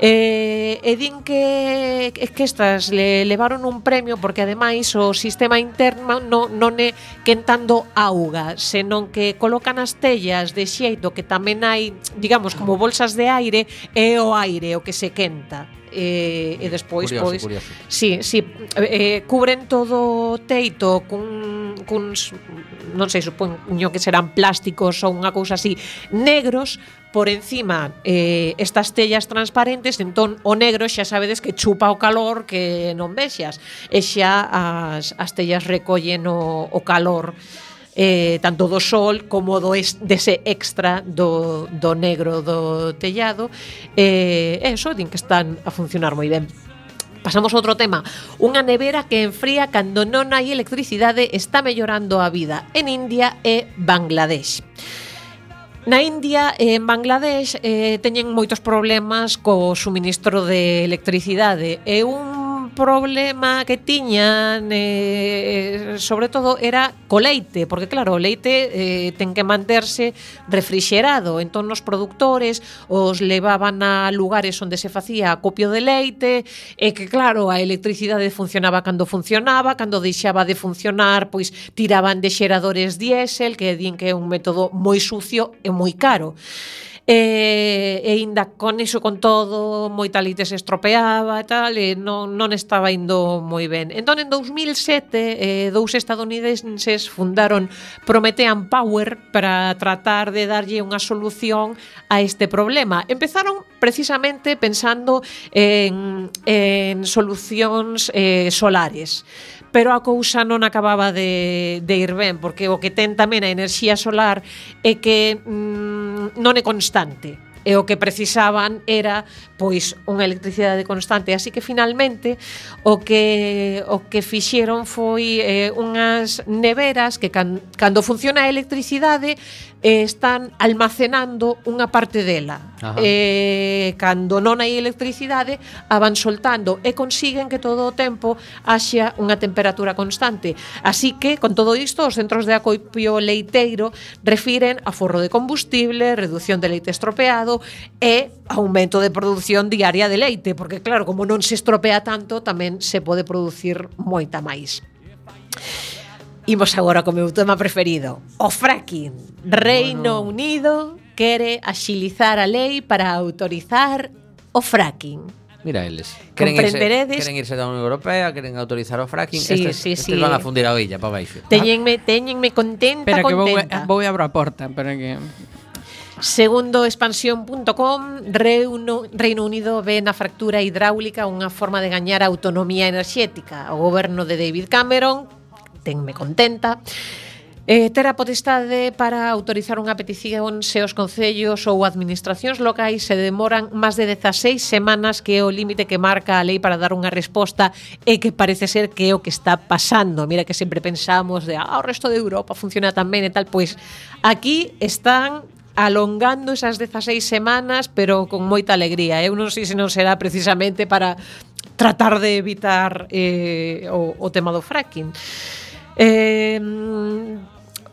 E din que estas levaron un premio porque ademais o sistema interno non é quentando auga, senón que colocan as tellas de xeito que tamén hai, digamos, como bolsas de aire, e o aire o que se quenta. E despois curioso. Sí, cubren todo o teito cuns, non sei, supoño que serán plásticos ou unha cousa así, negros por encima, estas tellas transparentes. Entón o negro xa sabedes que chupa o calor que non vexas, e xa as tellas recollen o calor, tanto do sol como dese extra do negro do tellado. Eso, din que están a funcionar moi ben. Pasamos a outro tema. Unha nevera que enfría cando non hai electricidade está mellorando a vida en India e Bangladesh. Na India e en Bangladesh teñen moitos problemas co suministro de electricidade, e un problema que tiñan sobre todo era co leite, porque claro, o leite ten que manterse refrixerado. Entón os produtores os levaban a lugares onde se facía acopio de leite, e que claro, a electricidade funcionaba cando funcionaba, cando deixaba de funcionar, pois tiraban de xeradores diésel, que din que é un método moi sucio e moi caro. E ainda con iso, con todo, moita leite se estropeaba e tal, e non estaba indo moi ben. Entón, en 2007, dous estadounidenses fundaron Promethean Power para tratar de darlle unha solución a este problema. Empezaron precisamente pensando en solucións solares, pero a cousa non acababa de ir ben, porque o que ten tamén a enerxía solar é que non é constante, e o que precisaban era pois unha electricidade constante, así que finalmente o que fixeron foi unhas neveras que cando funciona a electricidade están almacenando unha parte dela. Ajá. Cando non hai electricidade, a van soltando e consiguen que todo o tempo haxa unha temperatura constante. Así que, con todo isto, os centros de acopio leiteiro refiren a forro de combustible, reducción de leite estropeado e aumento de produción diaria de leite, porque claro, como non se estropea tanto, tamén se pode producir moita máis. Imos agora co meu tema preferido, o fracking. Reino Unido quere axilizar a lei para autorizar o fracking. Mira eles. Comprenderedes? Queren irse da Unión Europea, queren autorizar o fracking. Sí, estes sí. van a fundir a oilla para baixo. Téñenme contenta, Espera que contenta. vou abrir a porta, para que... Segundo expansión.com, Reino Unido ve na fractura hidráulica unha forma de gañar autonomía enerxética. O goberno de David Cameron, tenme contenta, ter a potestade para autorizar unha petición se os concellos ou administracións locais se demoran máis de 16 semanas, que é o límite que marca a lei para dar unha resposta, e que parece ser que é o que está pasando. Mira que sempre pensamos de o resto de Europa funciona tan ben e tal, pois aquí están alongando esas 16 semanas, pero con moita alegría. Eu non sei se non será precisamente para tratar de evitar o tema do fracking.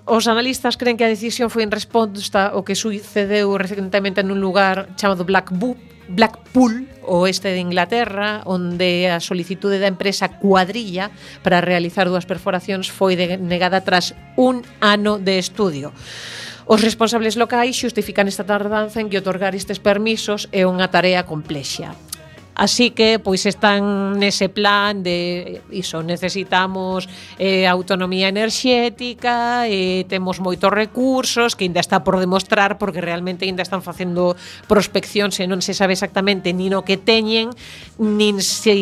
Os analistas creen que a decisión foi en resposta ao que sucedeu recentemente nun lugar chamado Blackpool, oeste de Inglaterra, onde a solicitude da empresa Cuadrilla para realizar 2 perforacións foi denegada tras un ano de estudio. Os responsables locais xustifican esta tardanza en que otorgar estes permisos é unha tarea complexa. Así que, pois, están nese plan de iso, necesitamos autonomía enerxética, temos moitos recursos que ainda está por demostrar, porque realmente ainda están facendo prospeccións e non se sabe exactamente nin o que teñen, nin se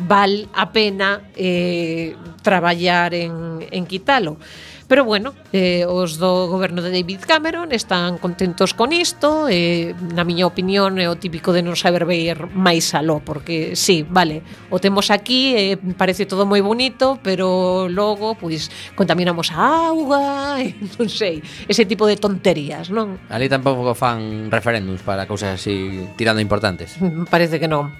val a pena traballar en quitalo. Pero bueno, os do goberno de David Cameron están contentos con isto, na miña opinión é o típico de non saber ver máis aló, porque sí, vale, o temos aquí, parece todo moi bonito, pero logo pois contaminamos a auga, non sei, ese tipo de tonterías, non? Ali tampouco fan referéndums para cousas así tirando importantes. Parece que non.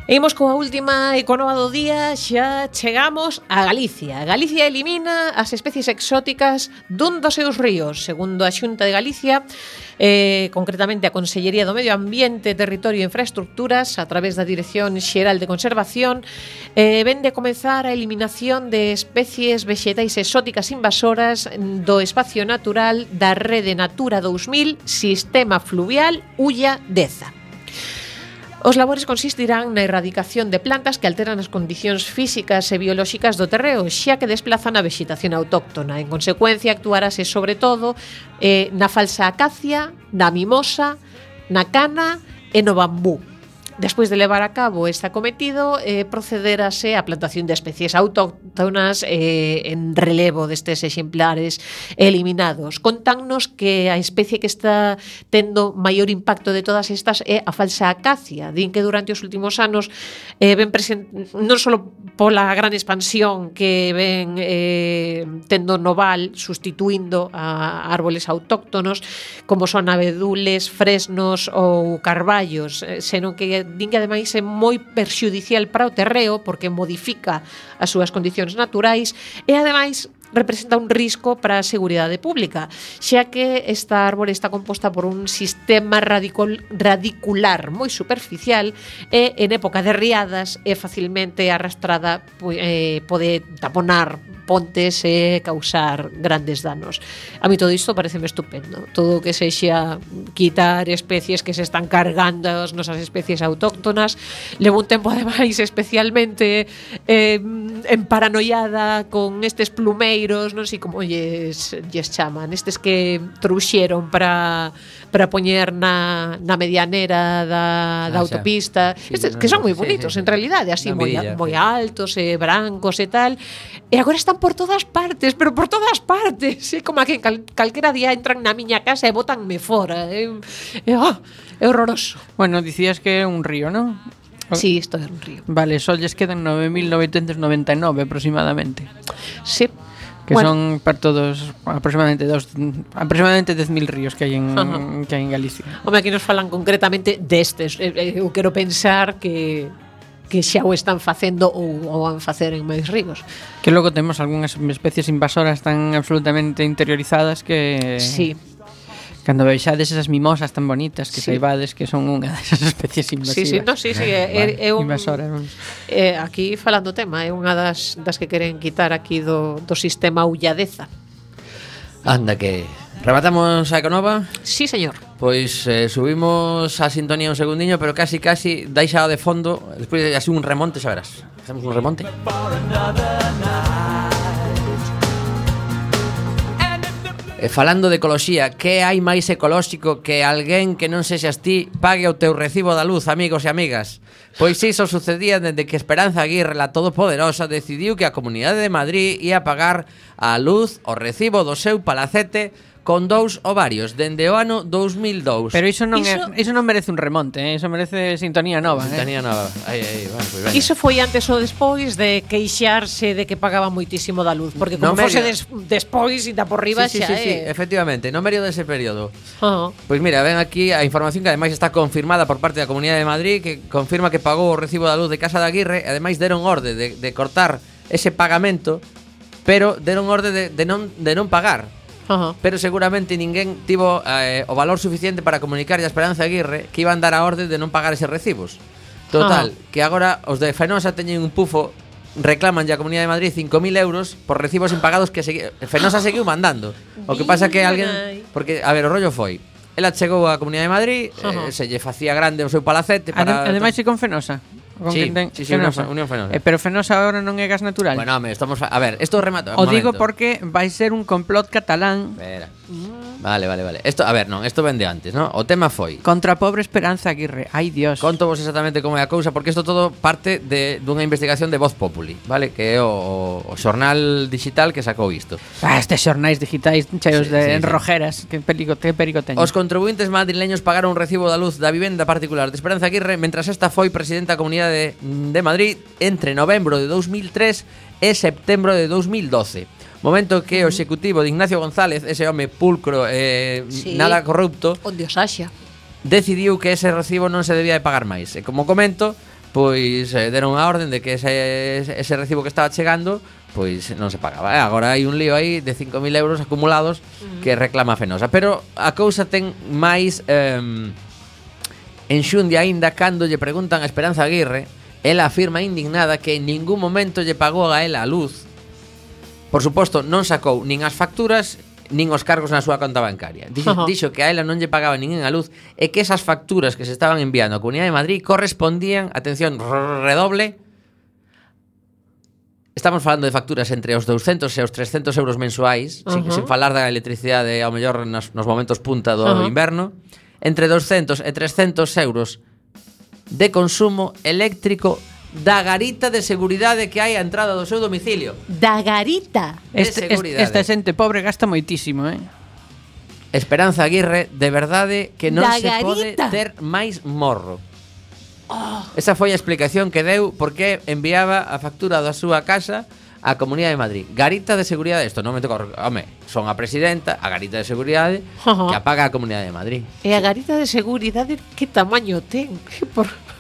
E imos coa última e coa nova do día, xa chegamos a Galicia. Galicia elimina as especies exóticas dun dos seus ríos. Segundo a Xunta de Galicia, concretamente a Consellería do Medio Ambiente, Territorio e Infraestructuras, a través da Dirección Xeral de Conservación, ven de comezar a eliminación de especies vexetais exóticas invasoras do espacio natural da Rede Natura 2000, Sistema Fluvial Ulla-Deza. Os labores consistirán na erradicación de plantas que alteran as condicións físicas e biolóxicas do terreo, xa que desplazan a vexetación autóctona. En consecuencia, actuarase sobre todo na falsa acacia, na mimosa, na cana e no bambú. Despois de levar a cabo este acometido, procederase á plantación de especies autóctonas en relevo destes exemplares eliminados. Contannos que a especie que está tendo maior impacto de todas estas é a falsa acacia. Din que durante os últimos anos ven non só pola gran expansión que ven tendo no val, sustituindo a árboles autóctonos, como son abedules, fresnos ou carballos, senón que din que ademais é moi perxudicial para o terreo porque modifica as súas condicións naturais e ademais representa un risco para a seguridade pública, xa que esta árbore está composta por un sistema radicular moi superficial e en época de riadas é facilmente arrastrada, pode taponar pontes e causar grandes danos. A mí todo isto pareceme estupendo. Todo o que sexa quitar especies que se están cargando as nosas especies autóctonas. Levo un tempo ademais especialmente emparanoiada con estes plumeiros, non sei como lles chaman, estes que trouxeron para poñer na medianera da autopista, estes que son moi bonitos en realidade, así moi altos e brancos e tal, e agora están por todas partes, pero por todas partes, é como que calquera día entran na miña casa e botanme fora, é horroroso. Bueno, dicías que é un río, non? Sí, isto é un río. Vale, só lles quedan 9.999 aproximadamente. Sí. Que Bueno. son perto dos aproximadamente 10.000 ríos que hai en Galicia. Home, aquí nos falan concretamente destes. Eu quero pensar que xa o están facendo ou van facer en máis ríos. Que logo temos algunhas especies invasoras tan absolutamente interiorizadas que Sí. cando vexades esas mimosas tan bonitas que Sí. saibades que son unha desas especies invasivas. Sí, no, sí, é un Invasoras. aquí falando tema, é unha das que queren quitar aquí do sistema Ulladeza. Anda que rematamos a Econova. Sí, señor. Pois subimos a sintonía un segundiño, pero casi deixa de fondo. Despois así un remonte, xa verás. Hacemos un remonte. Falando de ecoloxía, que hai máis ecolóxico que alguén que non sexas ti pague o teu recibo da luz, amigos e amigas? Pois iso sucedía dende que Esperanza Aguirre, la todopoderosa, decidiu que a Comunidade de Madrid ia pagar a luz o recibo do seu palacete con 2 ovarios dende o ano 2002. Pero iso non merece un remonte, iso merece sintonía nova, Sintonía nova. Aí, bueno, pues Iso foi antes ou despois de queixarse de que pagaba moitísimo da luz, porque como No fose medio. despois e da por riba sí, xa efectivamente, no medio dese período. Ah. Pois mira, ven aquí a información que ademais está confirmada por parte da Comunidade de Madrid, que confirma que pagou o recibo da luz de Casa de Aguirre, e ademais deron orde de cortar ese pagamento, pero deron orde de non pagar. Ajá. Pero seguramente ninguén tivo o valor suficiente para comunicar a Esperanza Aguirre que iban dar a orde de non pagar eses recibos. Total, que agora os de Fenosa teñen un pufo, reclaman ya a Comunidade de Madrid 5.000 euros por recibos impagados que Fenosa seguiu mandando. O que pasa que alguén... Porque, a ver, o rollo foi, ela chegou á Comunidade de Madrid, se lle facía grande o seu palacete para... Ademais, se con Fenosa. Con Sí, quen ten sí, Fenosa. Unión Fenosa. Pero Fenosa agora non é gas natural. Bueno, home, estamos... A ver, esto remata... O digo porque vai ser un complot catalán Espera. Vale. Esto, a ver, non, esto vende antes, ¿no? O tema foi... contra a pobre Esperanza Aguirre. Ai, Dios. Conto vos exactamente como é a cousa, porque isto todo parte dunha investigación de Voz Populi, vale? Que é o xornal digital que sacou isto. Estes xornais digitais cheos Sí, de sí. enrojeras. Que perigo teñen. Os contribuintes madrileños pagaron un recibo da luz da vivenda particular de Esperanza Aguirre mentras esta foi presidenta da Comunidade de Madrid entre novembro de 2003 e setembro de 2012. Momento que o executivo de Ignacio González, ese home pulcro Sí. nada corrupto, Onde os haxa. decidiu que ese recibo non se debía de pagar máis. E como comento, pois deron a orden de que ese recibo que estaba chegando pois non se pagaba. Agora hai un lío aí de 5.000 euros acumulados que reclama Fenosa. Pero a cousa ten máis enxundia aínda cando lle preguntan a Esperanza Aguirre. Ela afirma indignada que en ningún momento lle pagou a ela a luz. Por suposto, non sacou nin as facturas nin os cargos na súa conta bancaria. Dixo que a ela non lle pagaba nin a luz e que esas facturas que se estaban enviando á Comunidade de Madrid correspondían, atención, redoble. Estamos falando de facturas entre os 200 e os 300 euros mensuais, sin falar da electricidade ao mellor nos momentos punta do inverno, entre 200 e 300 euros de consumo eléctrico da garita de seguridade que hai á entrada do seu domicilio. Da garita. Esta xente pobre gasta moitísimo, Esperanza Aguirre, de verdade que non Da se pode garita. ter máis morro. Esa foi a explicación que deu porque enviaba a factura da súa casa á Comunidade de Madrid. Garita de seguridade, isto non me toca, home, son a presidenta, a garita de seguridade que apaga a Comunidade de Madrid. E a garita de seguridade que tamaño ten?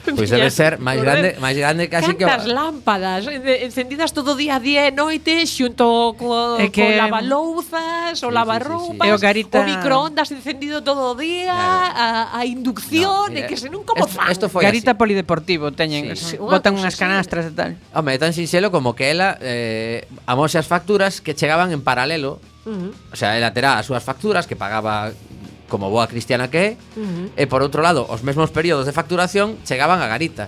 Pois debe ser máis grande casi que Cantas lámpadas encendidas todo día, día e noite xunto co lavalouzas, o lavarroupas, E o garita- o microondas encendido todo o día, a inducción, e que se non como fan. Isto foi Garita así. polideportivo teñen, Sí, botan unha unhas cousa así. canastras e tal. Home, é tan sinxelo como que ela amose as facturas que chegaban en paralelo. O sea, ela terá as súas facturas que pagaba como boa cristiana que é, e por outro lado, os mesmos períodos de facturación chegaban a garita.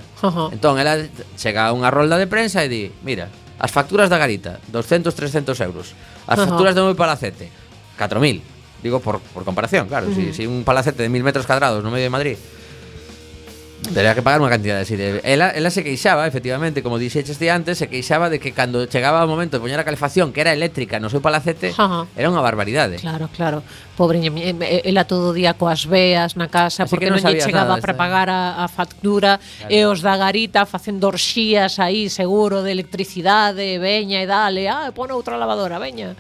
Entón, ela chega a unha rolda de prensa e di, mira, as facturas da garita, 200-300 euros. As facturas do meu palacete, 4.000. Digo, por comparación, claro, si un palacete de 1.000 metros cadrados no medio de Madrid Tería que pagar unha cantidad así de... Ela se queixaba, efectivamente, como dixeches ti antes, se queixaba de que cando chegaba o momento de poñer a calefacción, que era eléctrica no seu palacete, era unha barbaridade. Claro. Pobreña, ela todo o día coas veas na casa, Así porque que non lle chegaba nada, para pagar a factura, e os da garita facendo orxías aí, seguro, de electricidade, veña e dale, pon outra lavadora, veña.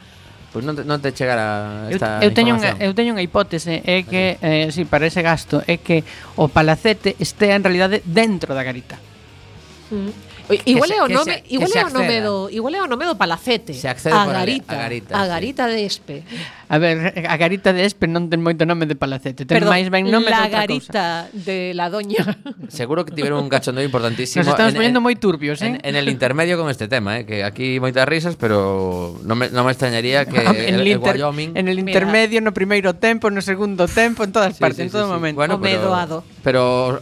Pois non te chegara esta eu teño información. unha hipótese, é que si para ese gasto é que o palacete estea en realidade dentro da garita. Igual é o nome do palacete. Se accede a por garita, a garita de Espe. A ver, a garita de Espe non ten moito nome de palacete, ten máis ben nome de la outra cousa. garita de la doña. Seguro que tiveron un cachondeo importantísimo. Nos estamos poniendo moi turbios, en el intermedio con este tema, que aquí moitas risas, pero non me extrañaría que el Wyoming... En el intermedio, no primeiro tempo, no segundo tempo, en todas partes, en todo momento. Bueno, o medoado. Pero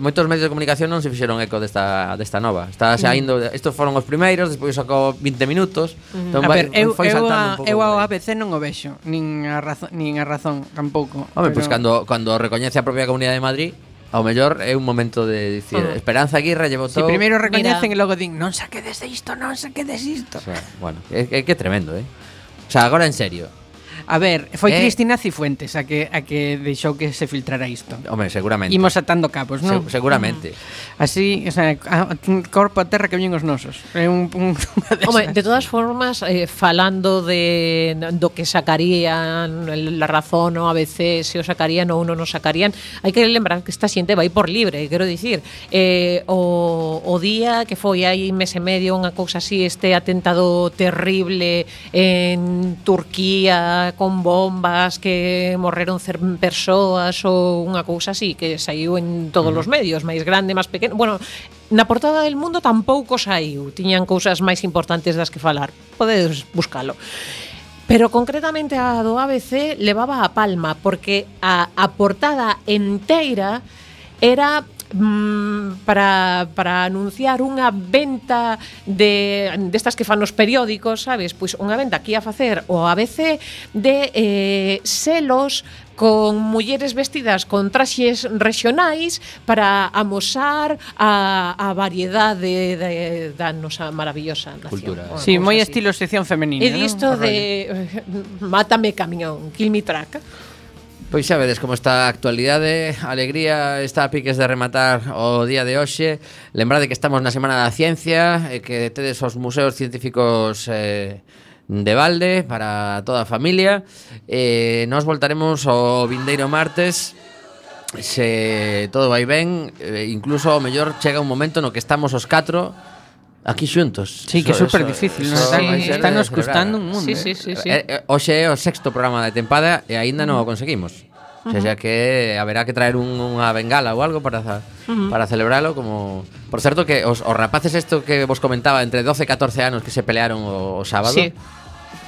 moitos medios de comunicación non se fixeron eco desta nova. Está saindo, estos foron os primeiros, despois sacou 20 minutos. Entón, A ver, foi saltando un pouco. eu ao ABC non o vexo, nin a razón tampouco. Home, pois cando recoñece a propia Comunidade de Madrid, ao mellor é un momento de dicir, Esperanza Aguirre lle votou. Si primeiro recoñecen e logo din, non saquedes isto. O sea, bueno, é tremendo, O sea, agora en serio. A ver, foi Cristina Cifuentes a que deixou que se filtrara isto. Home, seguramente. Imos atando cabos, non? Seguramente. Así, o sea, corpo a terra que viñen os nosos. É Home, de todas formas, falando do que sacarían La Razón ou ABC, se o sacarían ou non o sacarían, hai que lembrar que esta xente vai por libre, quero dicir, o día que foi aí mes e medio unha cousa así, este atentado terrible en Turquía con bombas que morreron persoas ou unha cousa así que saiu en todos os medios, máis grande, máis pequeno. Bueno, na portada del Mundo tampouco saiu, tiñan cousas máis importantes das que falar. Podedes buscalo. Pero concretamente a do ABC levaba a palma porque a portada enteira era para anunciar unha venta destas que fan os periódicos, sabes? Pois unha venta que ia facer o ABC de selos con mulleres vestidas con traxes regionais para amosar a variedade da nosa maravillosa nación. Cultura. Sí, moi estilo sección femenina. E disto de mátame camión, kill me truck. Pois xa vedes como está a actualidade. A alegría está a piques de rematar o día de hoxe. Lembrade que estamos na Semana da Ciencia e que tedes os museos científicos de balde para toda a familia. Nos voltaremos o vindeiro martes, se todo vai ben. Incluso ao mellor chega un momento no que estamos os 4 aquí xuntos. Sí, que é super difícil, está nos custando un mundo. Sí. Hoxe é o 6º programa da tempada e aínda non o conseguimos. O sea que haberá que traer unha bengala ou algo para celebralo, como... Por certo que os rapaces esto que vos comentaba, entre 12 e 14 anos que se pelearon o sábado,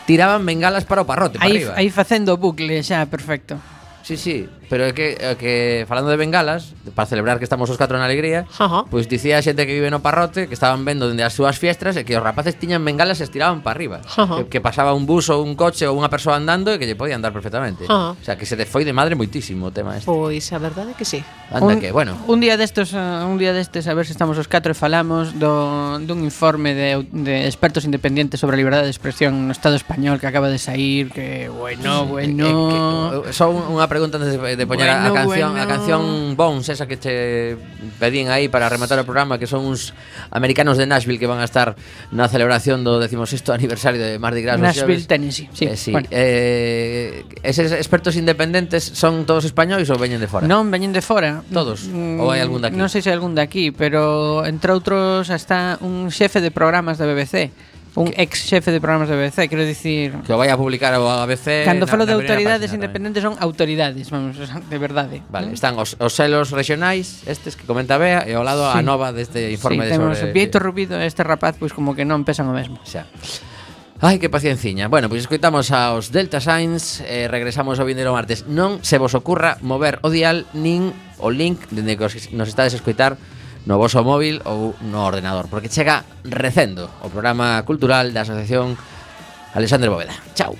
tiraban bengalas para o parrote, para arriba. Aí facendo bucle xa, perfecto. Sí, pero é que falando de bengalas, para celebrar que estamos os 4 na alegría, pois dicía a xente que vive no parrote que estaban vendo dende as súas fiestras e que os rapaces tiñan bengalas e estiraban para arriba, que pasaba un bus ou un coche ou unha persoa andando e que lle podían dar perfectamente. O sea, que se foi de madre moitísimo o tema este. Pois a verdade é que sí. Anda que, bueno. Un día destes a ver se estamos os 4 e falamos dun informe de expertos independientes sobre a liberdade de expresión no Estado español que acaba de sair, que bueno. Só unha pregunta antes de poñer a canción Bones, esa que te pedín aí para rematar o programa, que son uns americanos de Nashville que van a estar na celebración do 16º aniversario de Mardi Gras. Nashville, Tennessee. Sí. Bueno. Eses expertos independentes son todos españois ou veñen de fora? Non, veñen de fora. Todos? Ou hai algún daqui? Non sei se hai algún daqui, pero entre outros está un xefe de programas da BBC. Un ex xefe de programas de BBC, quero dicir... Que o vai a publicar o ABC... Cando falo de autoridades independentes son autoridades, vamos, de verdade. Vale, están os selos regionais, estes que comenta Bea, e ao lado a nova deste informe de sobre... Sí, temos Vieito Rubido e este rapaz, pois como que non pesan o mesmo. Xa. Ai, que pacienciña. Bueno, pois escoitamos aos Delta Signs e regresamos ao vindeiro martes. Non se vos ocurra mover o dial nin o link dende que nos estades a escoitar no voso móvil ou no ordenador, porque chega Recendo, o programa cultural da Asociación Alexandre Bóveda. Chao.